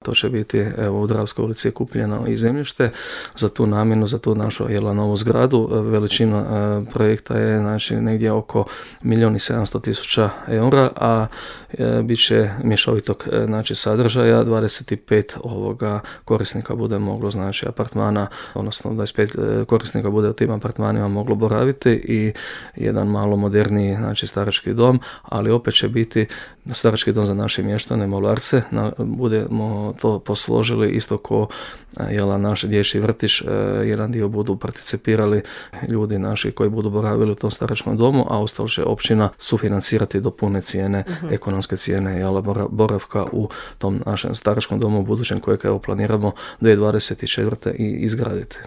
To će biti, evo, u Dravskoj ulici je kupljeno i zemljište za tu namjenu, za tu našu novu zgradu. Veličina projekta je, znači, negdje oko 1.700.000 eura, a bit će mješovitog, znači, sadržaja. 25 korisnika bude moglo, znači, apartmana, odnosno 25 korisnika bude u tim apartmanima moglo boraviti i jedan malo moderniji, znači, starački dom, ali opet će biti starački dom za naše mještane, Molarce. Budemo to posložili isto ko naš dječji vrtić, jedan dio budu participirali ljudi naši koji budu boravili u tom staračkom domu, a ostalo će općina sufinancirati do pune cijene, ekonomske cijene boravka u tom našem staračkom domu budućem kojeg planiramo 2024. i izgraditi.